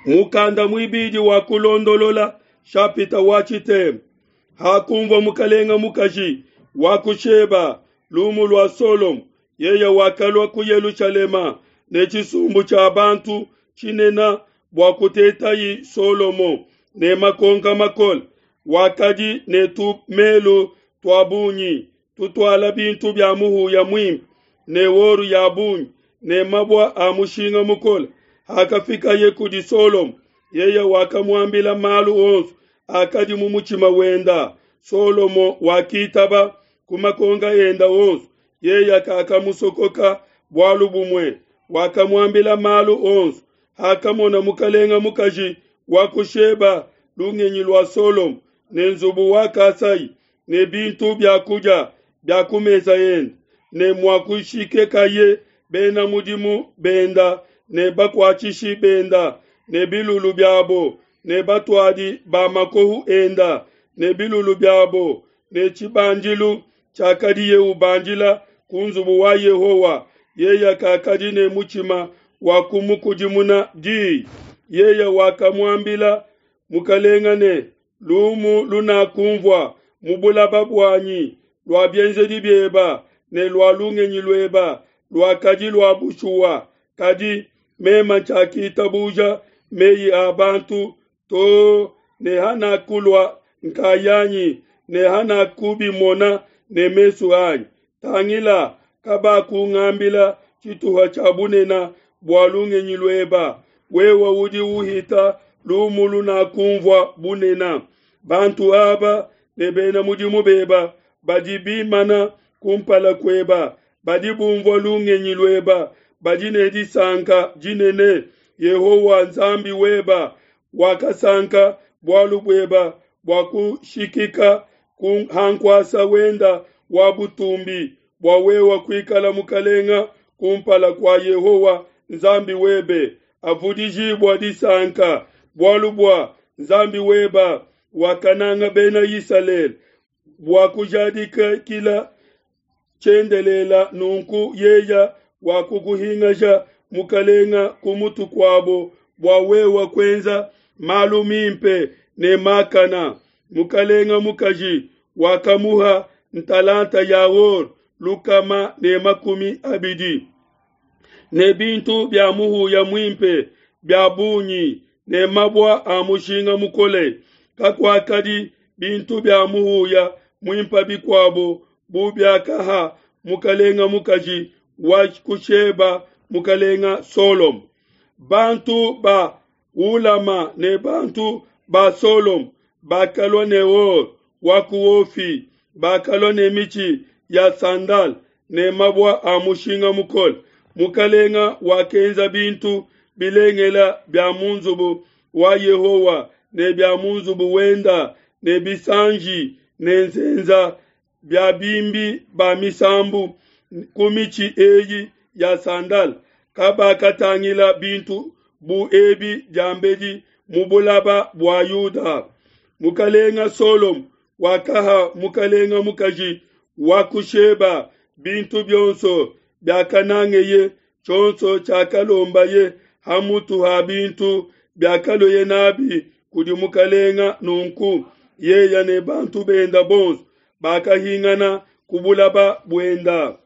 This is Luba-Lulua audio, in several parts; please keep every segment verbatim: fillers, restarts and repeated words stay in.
Mukanda muibidi wa kulondolola shapita wa tshitema. Hakunvua mukalenga mukaji wa ku Sheba lumu lua Solomo, yeye wakalua ku Yelushalema ne tshisumbu tshia bantu tshinene bua kutetayi Solomo ne makonka makole. Wakadi ne tumelu tua bungi tutuala bintu bia muhuya muimpe ne or ya bungi ne mabue a mushinga mukole. Hakafikaye kudi Solomo, yeye wakamuambila malu onso akadi mu mutshima wenda. Solomo wakitaba ku makonka enda onso, yeye kakamusokoka bualu bumue, wakamuambila malu onso. Hakamona mukalenga mukaji wa ku Sheba lungenyi lua Solomo ne nzubu wakasayi ne bintu bia kudia bia ku mesa ende ne muakushikekaye bena mudimu benda ne bakuatshishi benda ne bilulu biabo ne batuadi ba makohu enda ne bilulu biabo ne tshibandilu tshiakadiye ubandila ku nzubu wa Yehowa, yeye kakadi ne mutshima wa kumukudimuna diyi. Yeye wakamuambila mukalenga ne, lumu lunakunvua mu bulaba buanyi lua bienzedi bieba ne lua lungenyi lueba luakadi lua bushuwa, kadi mema tshiakitabuja meyi a bantu to ne hanakulua nkayanyi ne hanakubimona ne mesu anyi. Tangila, kabakungambila tshituha tshia bunene bua lungenyi lueba, wewe udi uhita lumu lunakunvua bunene. Bantu aba ne bena mudimu beba badi bimana kumpala kueba, badi bumvua lungenyi lueba, badi ne disanka dinene. Yehowa Nzambi weba wakasanka bualu bueba bua kushikika ku hankuasa wenda wa butumbi, bua wewe kuikala mukalenga kumpala kua Yehowa Nzambi webe. Avudijibua disanka bualu bua Nzambi weba wakananga bena Isalele bua kujadikila tshiendelela, nunku yeya wakukuhingaja mukalenga ku mutu kuabo bua wewe kuenza malu mimpe ne makana. Mukalenga mukaji wakamuha ntalanta ya or lukama ne makumi abidi ne bintu bia muhuya muimpe bia bungi ne mabue a mushinga mukole. Kakuakadi bintu bia muhuya muimpe bikuabo bu biakaha mukalenga mukaji wa ku Sheba mukalenga Solomo. Bantu ba Hulama ne bantu ba Solomo bakalua ne or wa ku Ofi, bakalua ne mitshi ya sandal ne mabue a mushinga mukole. Mukalenga wakenza bintu bilengela bia mu nzubu wa Yehowa ne bia mu nzubu wenda ne bisanji ne nzenza bia bimbi ba misambu ku mitshi eyi ya sandal. Kabakatangila bintu bu ebi diambedi mu bulaba bua Yuda. Mukalenga Solomo wakaha mukalenga mukaji wa ku Sheba bintu bionso biakanangeye, tshionso tshiakalombaye hamutu ha bintu biakaloye nabi kudi mukalenga. Nunku yeya ne bantu benda bonso bakahingana ku bulaba buenda.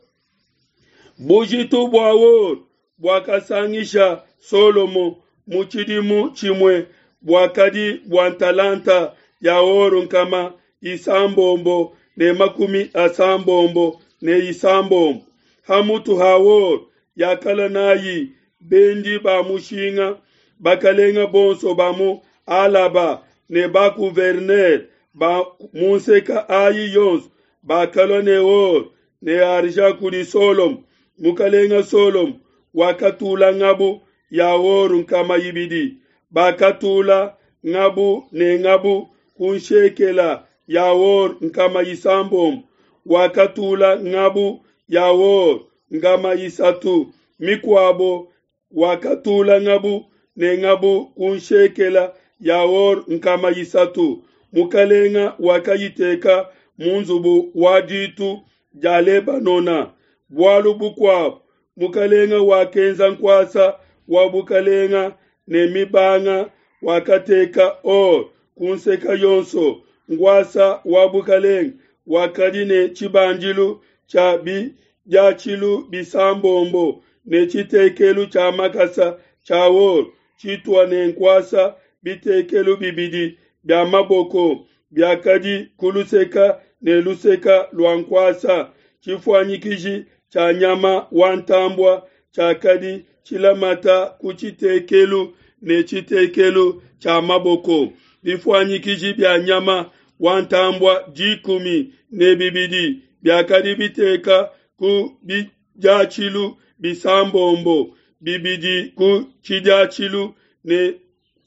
Bujitu bua or buakasangisha Solomo mu tshidimu tshimue buakadi bua ntalanta ya or nkama isambombo ne makumi asambombo ne isambombo. Hamutu ha or yakala nayi bendi ba mushinga, bakalenga bonso ba mu Alaba ne ba gouverneur ba mu nseka ayi yonso bakalua ne or ne argent kudi Solomo. Mukalenga Solomo wakatula ngabu ya or nkama ibidi, bakatula ngabu ne ngabu ku nshekela ya or nkama isambombo. Wakatula ngabu ya or nkama isatu mikuabo, wakatula ngabu ne ngabu ku nshekela ya or nkama isatu. Mukalenga wakayiteka mu nzubu wa ditu dia Lebanona. Bualu bukuabo, mukalenga wakenza nkuasa wa bukalenga ne mibanga, wakateka or ku nseke yonso. Nkuasa wa bukalenge wakadi ne tshibandilu tshia bidiatshilu bisambombo ne tshitekelu tshia makasa tshia or tshitua ne nkuasa. Bitekelu bibidi bia maboko biakadi ku luseke ne luseke lua nkuasa. Tshifuanyikiji tshia nyama wa ntambue tshiakadi tshilamata ku tshitekelu ne tshitekelu tshia maboko. Bifuanyikiji bia nyama wa ntambue dikumi ne bibidi biakadi biteka ku bidiatshilu bisambombo, bibidi ku tshidiatshilu ne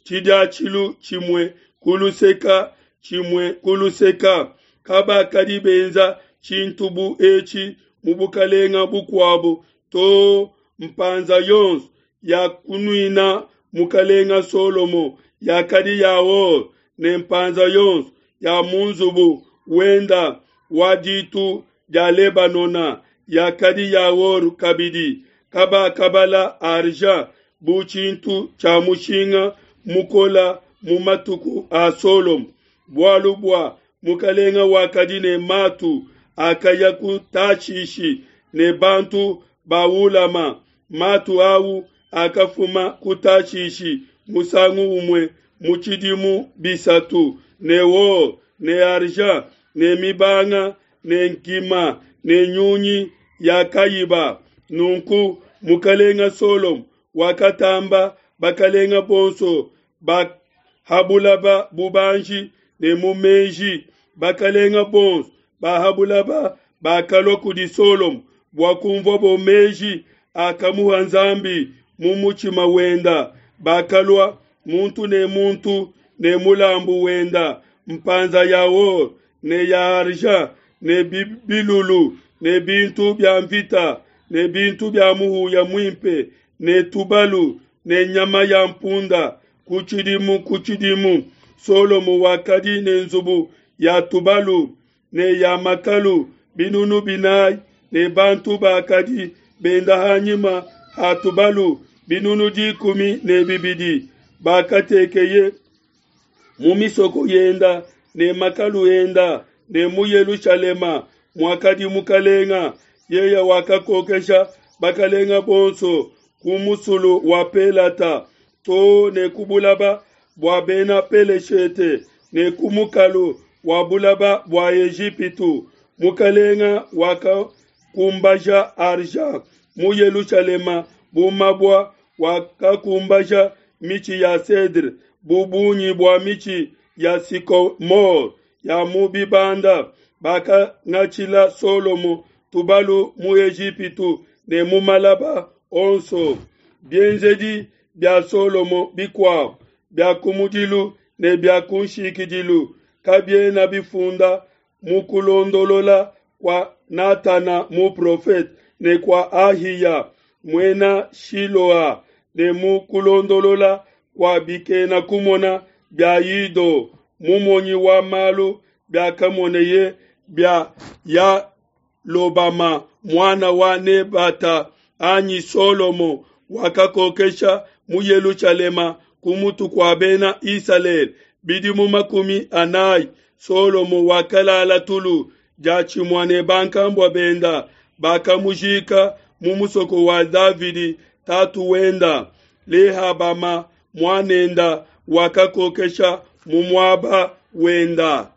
tshidiatshilu tshimue ku luseke tshimue ku luseke. Kabakadi benza tshintu bu etshi mu bukalenga bukuabu to. Mpanza yonso ya kunuina mukalenga Solomo yakadi ya or, ne mpanza yonso ya mu nzubu wenda wa ditu dia Lebanona yakadi ya or kabidi. Kabakabala argent bu tshintu tshia mushinga mukola mu matuku a Solomo, bualu bua mukalenga wakadi ne matu akaya ku Tashishi ne bantu ba Hulama. Matu au akafuma ku Tashishi musangu umue mu tshidimu bisatu, ne or ne argent ne mibanga ne nkima ne nyunyi ya kayiba. Nunku mukalenga Solomo wakatamba bakalenga bonso ba ha bulaba bubanji ne mu meji. Bakalenga bonso ba ha bulaba bakalua kudi Solomo bua kumvuabo meji akamuha Nzambi mu mutshima wenda. Bakalua muntu ne muntu ne mulambu wenda, mpanza ya or ne ya argent ne bilulu ne bintu bia mvita ne bintu bia muhuya muimpe ne tubalu ne nyama ya mpunda ku tshidimu ku tshidimu. Solomo wakadi ne nzubu ya tubalu ne ya makalu binunu binayi ne bantu bakadi benda hanyima ha tubalu binunu dikumi ne bibidi. Bakatekeye mu misoko yenda ne makalu enda ne mu Yelushalema muakadi mukalenga. Yeye wakakokesha bakalenga bonso ku musulu wa Pelata to ne ku bulaba bua bena Peleshete ne ku mukalu wa bulaba bua Ejipitu. Mukalenga wakakumbaja argent mu Yelushalema bu mabua, wakakumbaja mitshi ya cedre bu bungi bua mitshi ya sycomore ya mu bibanda. Bakangatshila Solomo tubalu mu Ejipitu ne mu malaba onso. Bienzedi bia Solomo bikuabu bia kumudilu ne bia kunshikidilu kabiena bifunda mu kulondolola kua Natana muprofete ne kua Ahiya muena Shiloa ne mu kulondolola kua bikena kumona bia Ido mumonyi wa malu biakamoneye bia Yalobama muana wa Nebata. Anyi Solomo wakakokesha mu Yelushalema ku mutu kua bena Isalele bidimu makumi anayi. Solomo wakalala tulu diatshimue ne bankambua benda, bakamujika mu musoko wa Davidi tatu wenda. Lehabama muanenda wakakokesha mu muaba wenda.